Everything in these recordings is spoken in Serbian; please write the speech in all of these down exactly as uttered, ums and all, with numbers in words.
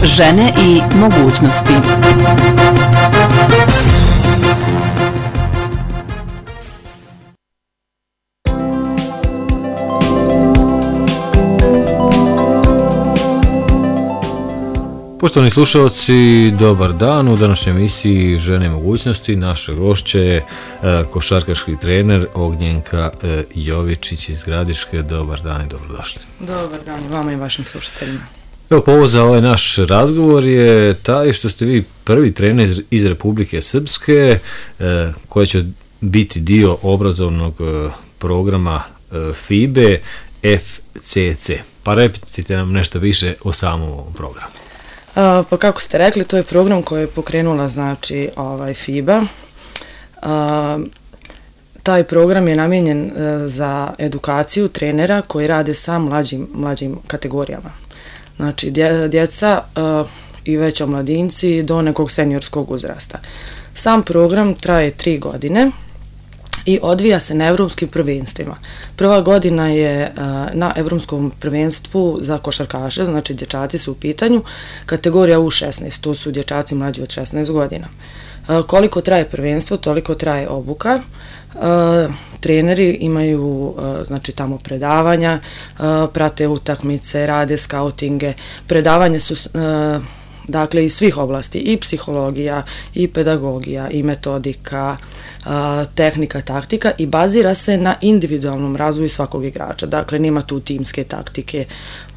Žene i mogućnosti. Poštovani slušalci, dobar dan. U današnjoj emisiji Žene i mogućnosti naša gošća je košarkaški trener Ognjenka Jovičić iz Gradiške. Dobar dan i dobrodošli. Dobar dan vama i vašim slušateljima. Evo, povod za ovaj naš razgovor je taj što ste vi prvi trener iz, iz Republike Srpske koja će biti dio obrazovnog programa FIBE F C C. Pa recite nam nešto više o samom ovom programu. Uh, pa kako ste rekli, to je program koji je pokrenula znači ovaj FIBA. Uh, taj program je namijenjen uh, za edukaciju trenera koji rade sa mlađim, mlađim kategorijama. Znači dje, djeca uh, i već omladinci do nekog seniorskog uzrasta. Sam program traje tri godine i odvija se na evropskim prvenstvima. Prva godina je uh, na evropskom prvenstvu za košarkaše, znači dječaci su u pitanju, kategorija U šesnaest, to su dječaci mlađi od šesnaest godina. Uh, koliko traje prvenstvo, toliko traje obuka. Uh, treneri imaju uh, znači tamo predavanja, uh, prate utakmice, rade skautinge, predavanja su uh, dakle iz svih oblasti, i psihologija, i pedagogija, i metodika, a, tehnika, taktika, i bazira se na individualnom razvoju svakog igrača. Dakle, nema tu timske taktike,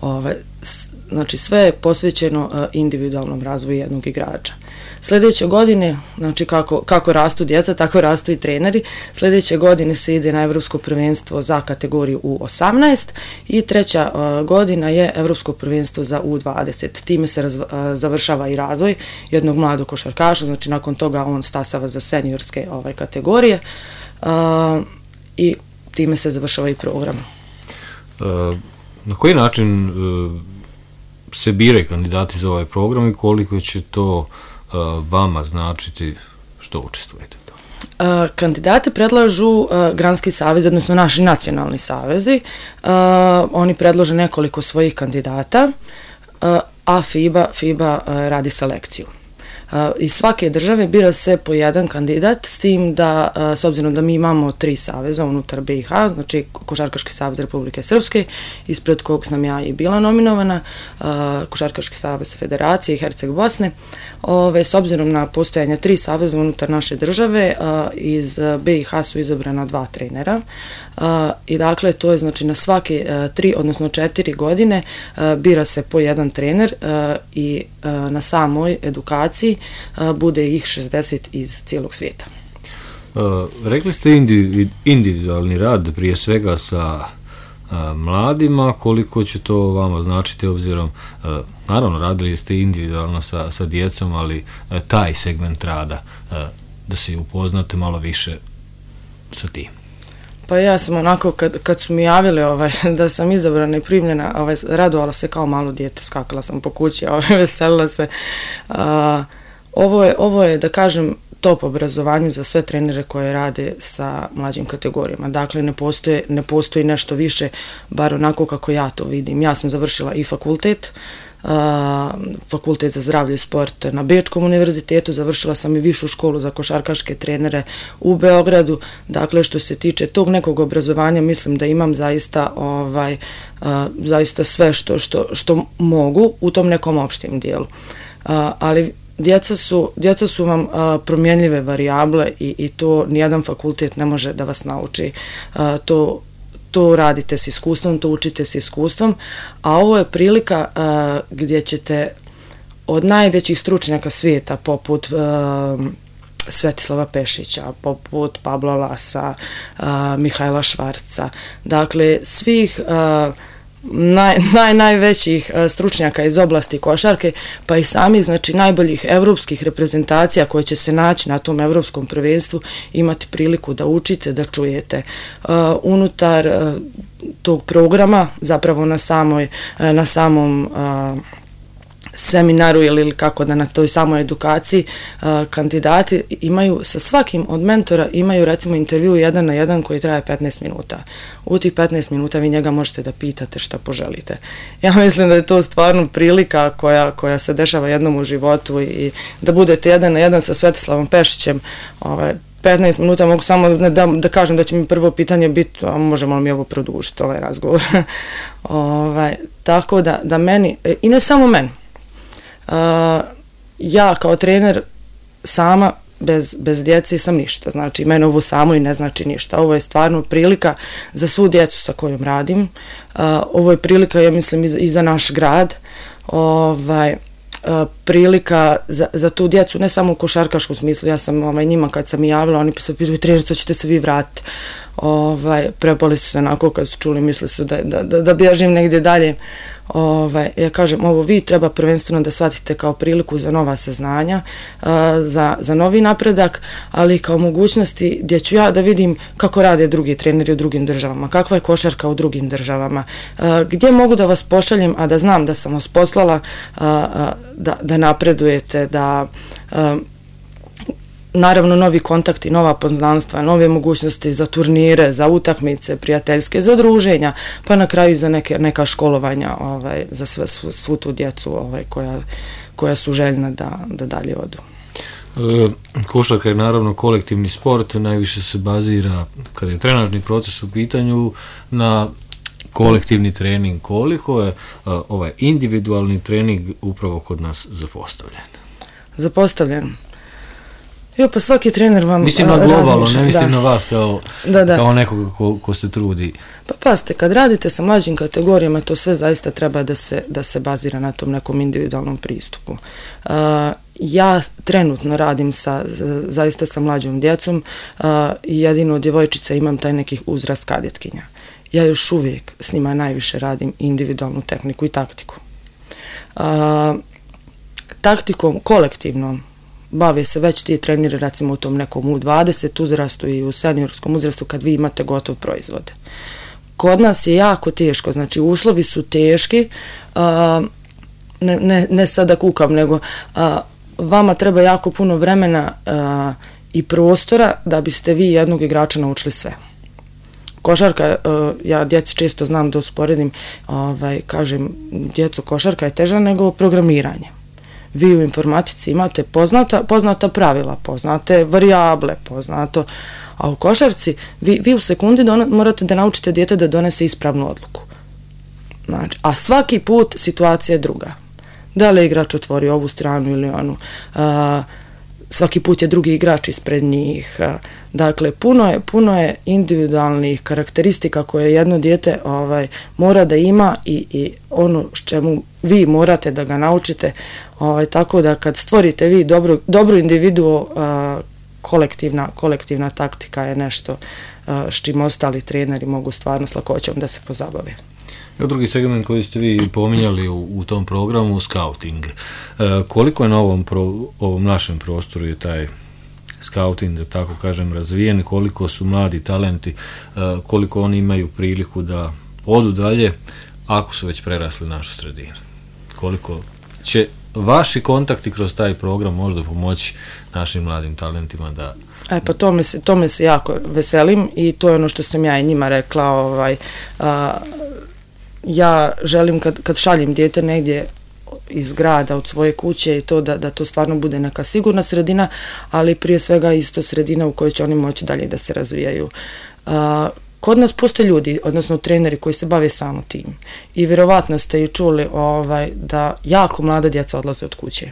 ove, s, znači sve je posvećeno a, individualnom razvoju jednog igrača. Sljedeće godine, znači kako, kako rastu djeca, tako rastu i treneri. Sljedeće godine se ide na Evropsko prvenstvo za kategoriju U osamnaest i treća uh, godina je Evropsko prvenstvo za U dvadeset. Time se raz, uh, završava i razvoj jednog mladog košarkaša, znači nakon toga on stasava za seniorske ovaj, kategorije uh, i time se završava i program. Uh, na koji način uh, se biraju kandidati za ovaj program i koliko će to vama značiti što učestvujete u tome? Kandidate predlažu Granski savez, odnosno naši nacionalni savezi. Oni predlože nekoliko svojih kandidata, a FIBA, FIBA radi selekciju. Iz svake države bira se po jedan kandidat, s tim da, s obzirom da mi imamo tri saveza unutar B i H, znači Košarkaški savez Republike Srpske, ispred kog sam ja i bila nominovana, Košarkaški savez Federacije i Herceg Bosne. Ove, s obzirom na postojanje tri saveza unutar naše države, iz B i H su izabrana dva trenera i dakle to je znači na svake tri, odnosno četiri godine bira se po jedan trener i na samoj edukaciji bude ih šezdeset iz cijelog svijeta. Uh, rekli ste individu, individualni rad prije svega sa uh, mladima, koliko će to vama značiti obzirom, uh, naravno radili ste individualno sa, sa djecom, ali uh, taj segment rada, uh, da se upoznate malo više sa tim. Pa ja sam onako, kad, kad su mi javili ovaj, da sam izabrana i primljena, ovaj, radovala se kao malo dijete, skakala sam po kući, ovaj, veselila se. Uh, Ovo je, ovo je, da kažem, top obrazovanje za sve trenere koje rade sa mlađim kategorijama. Dakle, ne postoji, ne postoji nešto više, bar onako kako ja to vidim. Ja sam završila i fakultet, uh, fakultet za zdravlje i sport na Bečkom univerzitetu, završila sam i višu školu za košarkaške trenere u Beogradu. Dakle, što se tiče tog nekog obrazovanja, mislim da imam zaista, ovaj, uh, zaista sve što, što, što mogu u tom nekom opštim dijelu. Uh, ali Djeca su, djeca su vam a, promjenljive varijable i, i to nijedan fakultet ne može da vas nauči. A, to, to radite s iskustvom, to učite s iskustvom, a ovo je prilika a, gdje ćete od najvećih stručnjaka svijeta, poput a, Svetislava Pešića, poput Pabla Lasa, a, Mihajla Švarca, dakle svih a, Naj, naj, najvećih stručnjaka iz oblasti košarke, pa i samih znači najboljih evropskih reprezentacija koje će se naći na tom evropskom prvenstvu, imati priliku da učite, da čujete. Uh, unutar uh, tog programa, zapravo na samoj, uh, na samom uh, seminaru ili kako da na toj samoj edukaciji uh, kandidati imaju, sa svakim od mentora imaju recimo intervju jedan na jedan koji traje petnaest minuta. U tih petnaest minuta vi njega možete da pitate šta poželite. Ja mislim da je to stvarno prilika koja, koja se dešava jednom u životu i da budete jedan na jedan sa Svetislavom Pešićem, ovaj, petnaest minuta, mogu samo da, da kažem da će mi prvo pitanje biti, a možemo li mi ovo produžiti, ovaj razgovor. ovaj, tako da, da meni, i ne samo meni, uh, ja kao trener sama bez, bez djece sam ništa, znači meni ovo samo i ne znači ništa. Ovo je stvarno prilika za svu djecu sa kojom radim, uh, ovo je prilika, ja mislim, i za, i za naš grad, ovaj, Uh, prilika za, za tu djecu, ne samo u košarkaškom smislu. Ja sam ovaj, njima kad sam i javila, oni se pitaju, trener, to ćete se vi vratiti. Ovaj, prepali su se onako kad su čuli, misli su da, da, da, da bježim negdje dalje. Ovaj, ja kažem, ovo vi treba prvenstveno da shvatite kao priliku za nova saznanja, uh, za, za novi napredak, ali kao mogućnosti gdje ću ja da vidim kako rade drugi treneri u drugim državama, kakva je košarka u drugim državama, uh, gdje mogu da vas pošaljem, a da znam da sam vas poslala, uh, uh, da, da napredujete, da uh, naravno novi kontakti, nova poznanstva, nove mogućnosti za turnire, za utakmice, prijateljske, za druženja, pa na kraju za neke, neka školovanja ovaj, za sve, svu, svu tu djecu ovaj, koja, koja su željna da, da dalje odu. E, košarka je naravno kolektivni sport, najviše se bazira, kada je trenažni proces u pitanju, na kolektivni trening. Koliko je a, ovaj individualni trening upravo kod nas zapostavljen? Zapostavljen. Jo, pa svaki trener vam mislim na globalno, ne mislim da. na vas kao, da, da. kao nekoga ko, ko se trudi. Pa pazite, kad radite sa mlađim kategorijama, to sve zaista treba da se, da se bazira na tom nekom individualnom pristupu. Uh, ja trenutno radim sa, zaista sa mlađom djecom uh, i jedino od djevojčica imam taj neki uzrast kadetkinja. Ja još uvijek s njima najviše radim individualnu tehniku i taktiku. Uh, taktikom kolektivnom bave se već ti treneri recimo u tom nekom u dvadeset uzrastu i u seniorskom uzrastu kad vi imate gotov proizvode. Kod nas je jako teško, znači uslovi su teški, uh, ne, ne, ne sada kukam, nego uh, vama treba jako puno vremena uh, i prostora da biste vi jednog igrača naučili sve. Košarka, uh, ja djeci često znam da usporedim, ovaj, kažem, djeco, košarka je teža nego programiranje. Vi u informatici imate poznata, poznata pravila, poznate varijable, poznato, a u košarci vi, vi u sekundi dona, morate da naučite dijete da donese ispravnu odluku. Znači, a svaki put situacija je druga. Da li je igrač otvorio ovu stranu ili onu, a, svaki put je drugi igrač ispred njih. A, dakle, puno je, puno je individualnih karakteristika koje jedno dijete ovaj, mora da ima i, i ono s čemu vi morate da ga naučite, ovaj, tako da kad stvorite vi dobru, dobru individuo, a, kolektivna, kolektivna taktika je nešto a, s čim ostali treneri mogu stvarno s lakoćom da se pozabave. I drugi segment koji ste vi pominjali u, u tom programu, scouting. E, koliko je na ovom, pro, ovom našem prostoru je taj scouting, da tako kažem, razvijen, koliko su mladi talenti, e, koliko oni imaju priliku da odu dalje ako su već prerasli našu sredinu? Koliko će vaši kontakti kroz taj program možda pomoći našim mladim talentima da... E, pa to me se, to me se jako veselim i to je ono što sam ja i njima rekla, ovaj, a, ja želim kad, kad šaljem dijete negdje iz grada, od svoje kuće i to da, da to stvarno bude neka sigurna sredina, ali prije svega isto sredina u kojoj će oni moći dalje da se razvijaju. A, kod nas postoje ljudi, odnosno treneri koji se bave samo tim i vjerovatno ste i čuli ovaj, da jako mlada djeca odlaze od kuće.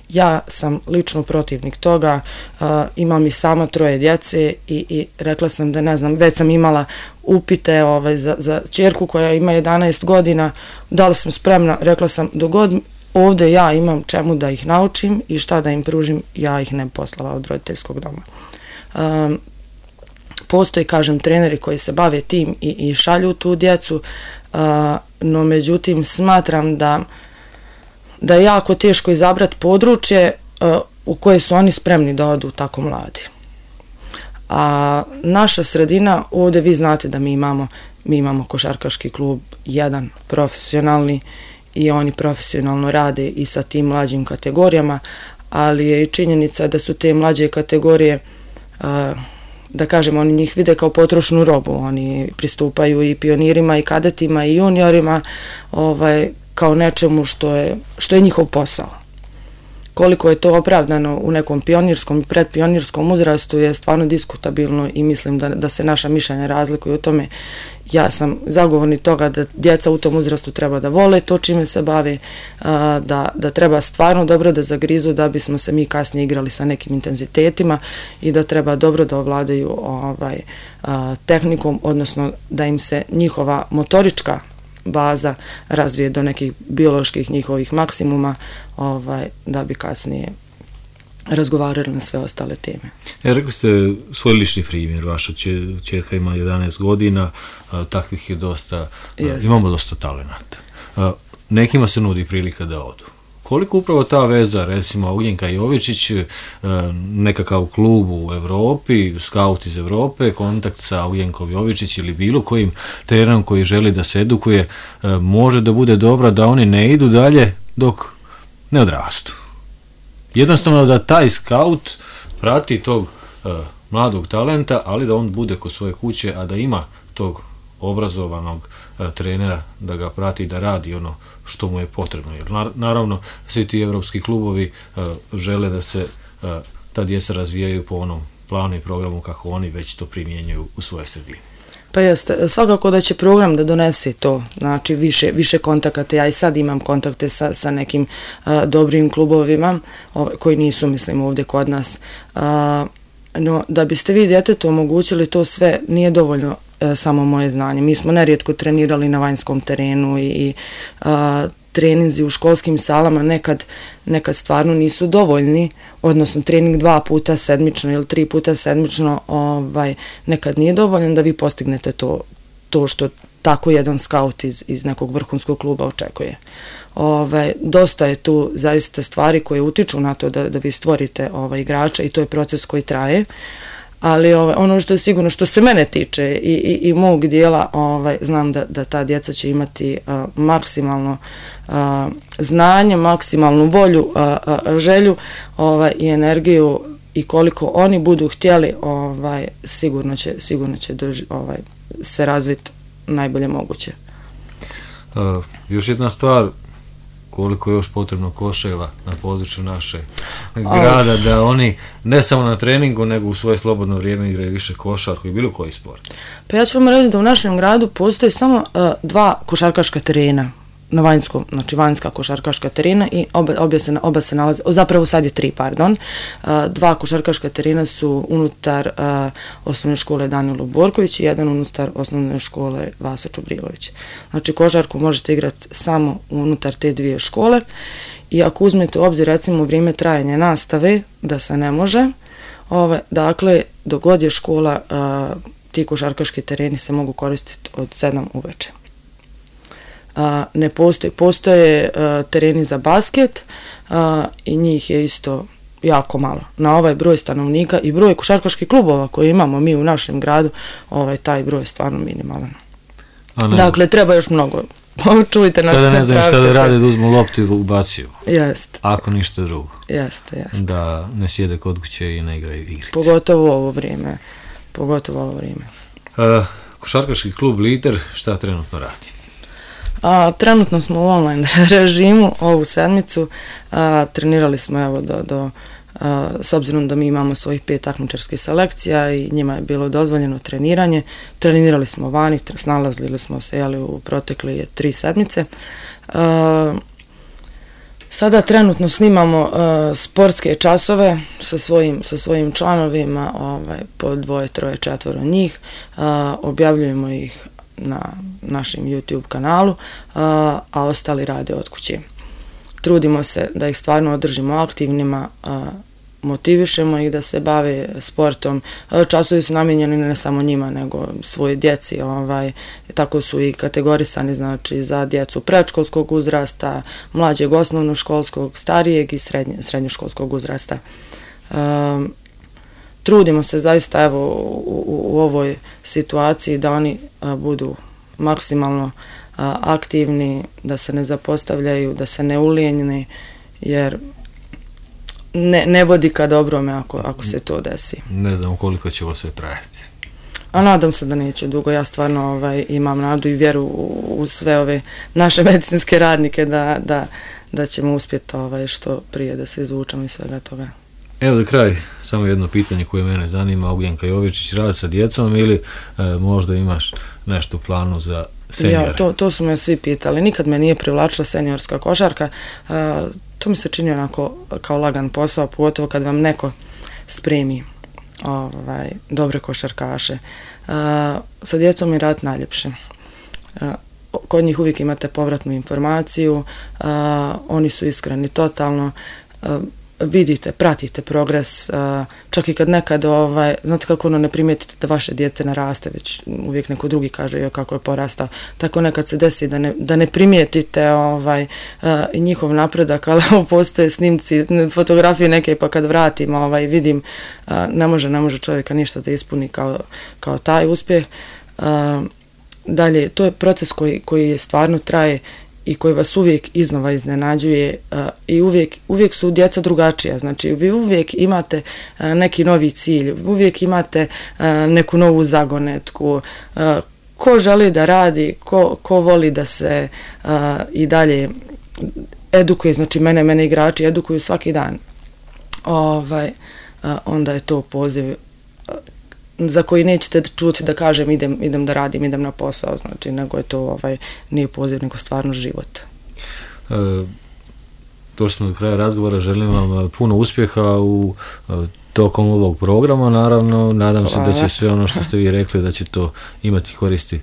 Ja sam lično protivnik toga, uh, imam i sama troje djece i, i rekla sam da ne znam, već sam imala upite ovaj, za, za ćerku koja ima jedanaest godina, da li sam spremna, rekla sam dogod ovdje ja imam čemu da ih naučim i šta da im pružim, ja ih ne poslala od roditeljskog doma. Um, postoji, kažem, treneri koji se bave tim i, i šalju tu djecu, uh, no međutim smatram da da je jako teško izabrati područje uh, u koje su oni spremni da odu tako mladi. A naša sredina, ovdje vi znate da mi imamo, mi imamo košarkaški klub jedan profesionalni i oni profesionalno rade i sa tim mlađim kategorijama, ali je i činjenica da su te mlađe kategorije, da kažem, oni njih vide kao potrošnu robu, oni pristupaju i pionirima i kadetima i juniorima ovaj, kao nečemu što je, što je njihov posao. Koliko je to opravdano u nekom pionirskom i predpionirskom uzrastu je stvarno diskutabilno i mislim da, da se naša mišljenja razlikuju u tome. Ja sam zagovornik toga da djeca u tom uzrastu treba da vole to čime se bave, da, da treba stvarno dobro da zagrizu da bismo se mi kasnije igrali sa nekim intenzitetima i da treba dobro da ovladaju ovaj, tehnikom, odnosno da im se njihova motorička baza razvije do nekih bioloških njihovih maksimuma, ovaj, da bi kasnije razgovarali na sve ostale teme. E, rekli ste svoj lični primjer, vaša ćerka ima jedanaest godina, a, takvih je dosta, a, imamo dosta talenata. A, nekima se nudi prilika da odu. Koliko upravo ta veza, recimo Ugljenka Jovičić, nekakav klub u Evropi, skaut iz Evrope, kontakt sa Ugljenkom Jovičić ili bilo kojim trenerom koji želi da se edukuje, može da bude dobra da oni ne idu dalje dok ne odrastu. Jednostavno da taj skaut prati tog mladog talenta, ali da on bude kod svoje kuće, a da ima tog obrazovanog trenera da ga prati, da radi ono što mu je potrebno. Jer naravno svi ti evropski klubovi žele da se ta djeca razvijaju po onom planu i programu kako oni već to primjenjuju u svoje sredine. Pa jeste, svakako da će program da donese to, znači više, više kontakata. Ja i sad imam kontakte sa, sa nekim a, dobrim klubovima ovaj, koji nisu, mislim, ovdje kod nas. A, no, da biste vi djetetu omogućili to sve, nije dovoljno e, samo moje znanje. Mi smo nerijetko trenirali na vanjskom terenu i, i a, treninzi u školskim salama nekad, nekad stvarno nisu dovoljni, odnosno trening dva puta sedmično ili tri puta sedmično ovaj, nekad nije dovoljan da vi postignete to, to što tako jedan skaut iz, iz nekog vrhunskog kluba očekuje. Ovaj, dosta je tu zaista stvari koje utiču na to da, da vi stvorite ovaj, igrača i to je proces koji traje. Ali ovaj, ono što je sigurno, što se mene tiče i, i, i mog dijela, ovaj, znam da, da ta djeca će imati uh, maksimalno uh, znanje, maksimalnu volju, uh, uh, želju ovaj, i energiju i koliko oni budu htjeli, ovaj, sigurno će, sigurno će doži, ovaj, se razviti najbolje moguće. Uh, još jedna stvar, koliko je još potrebno koševa na području naše grada, oh. da oni ne samo na treningu, nego u svoje slobodno vrijeme igraju više košarku i bilo koji sport. Pa ja ću vam reći da u našem gradu postoji samo uh, dva košarkaška terena na vanjskom, znači vanjska košarkaška terena i oba, oba, se, oba se nalaze, o, zapravo sad je tri, pardon, uh, dva košarkaška terena su unutar uh, osnovne škole Danilo Borković i jedan unutar osnovne škole Vasa Čubrilović. Znači košarku možete igrati samo unutar te dvije škole i ako uzmete u obzir recimo vrijeme trajanja nastave da se ne može, ove, dakle dok god je škola, uh, ti košarkaški tereni se mogu koristiti od sedam uveče. Uh, ne postoje, postoje uh, tereni za basket uh, i njih je isto jako malo. Na ovaj broj stanovnika i broj košarkaških klubova koje imamo mi u našem gradu, ovaj, taj broj je stvarno minimalan. Dakle, treba još mnogo. Čujte nas. Kada ne znam šta da rade, da uzmu loptu i ubaciju. Jeste. Ako ništa drugo. Jeste, jeste. Da ne sjede kod kuće i ne igraju igrice. Pogotovo ovo vrijeme. Pogotovo ovo vrijeme. Uh, košarkaški klub Lider, šta trenutno radi? A, trenutno smo u online režimu ovu sedmicu, a, trenirali smo evo do, do a, s obzirom da mi imamo svojih pet takmičarskih selekcija i njima je bilo dozvoljeno treniranje, trenirali smo vani, snalazili smo se jeli, u protekle tri sedmice. A, sada trenutno snimamo a, sportske časove sa svojim, sa svojim članovima, ovaj, po dvoje, troje, četvoro njih, a, objavljujemo ih na našem YouTube kanalu, a, a ostali rade od kuće. Trudimo se da ih stvarno održimo aktivnima, a, motivišemo ih da se bave sportom. Časovi su namijenjeni ne samo njima, nego svoje djeci. Ovaj, tako su i kategorisani, znači, za djecu predškolskog uzrasta, mlađeg osnovnoškolskog, starijeg i srednje, srednjoškolskog uzrasta. A, Trudimo se zaista evo u, u ovoj situaciji da oni a, budu maksimalno aktivni, da se ne zapostavljaju, da se ne ulijenjeni, jer ne, ne vodi ka dobrome ako, ako se to desi. Ne znam koliko će ovo sve trajati. A nadam se da neće dugo. Ja stvarno ovaj, imam nadu i vjeru u, u sve ove naše medicinske radnike da, da, da ćemo uspjeti ovaj, što prije da se izvučemo iz svega toga. Evo za kraj, samo jedno pitanje koje mene zanima. Ognjenka Jovičić radi sa djecom ili e, možda imaš nešto u planu za senjore? Ja, to, to su me svi pitali. Nikad me nije privlačila seniorska košarka. E, to mi se čini onako kao lagan posao, pogotovo kad vam neko spremi ovaj, dobre košarkaše. E, sa djecom je rad najljepše. E, kod njih uvijek imate povratnu informaciju, e, oni su iskreni totalno, e, vidite, pratite progres, čak i kad nekad, ovaj, znate kako ono ne primijetite da vaše dijete naraste, već uvijek neko drugi kaže jo, kako je porastao, tako nekad se desi da ne, da ne primijetite ovaj, njihov napredak, ali postoje snimci, fotografije neke, pa kad vratim ovaj, vidim, ne može, ne može čovjeka ništa da ispuni kao, kao taj uspjeh. Dalje, to je proces koji, koji stvarno traje i koji vas uvijek iznova iznenađuje uh, i uvijek, uvijek su djeca drugačija, znači vi uvijek imate uh, neki novi cilj, uvijek imate uh, neku novu zagonetku, uh, ko želi da radi, ko, ko voli da se uh, i dalje edukuje, znači mene, mene igrači edukuju svaki dan, ovaj, uh, onda je to poziv uh, za koji nećete čuti da kažem idem, idem da radim, idem na posao, znači nego je to ovaj, nije poziv, nego stvarno život. E, došli smo do kraja razgovora, želim vam puno uspjeha u tokom ovog programa, naravno, nadam hvala. Se da će sve ono što ste vi rekli, da će to imati koristi,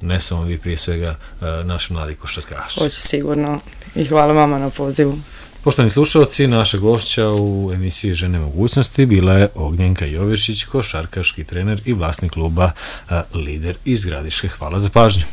ne samo vi, prije svega naši mladi košarkaši. Hoće sigurno i hvala vama na pozivu. Poštovani slušalci, naša gošća u emisiji Žene mogućnosti bila je Ognjenka Jovičić, košarkaški trener i vlasnik kluba Lider iz Gradiške. Hvala za pažnju.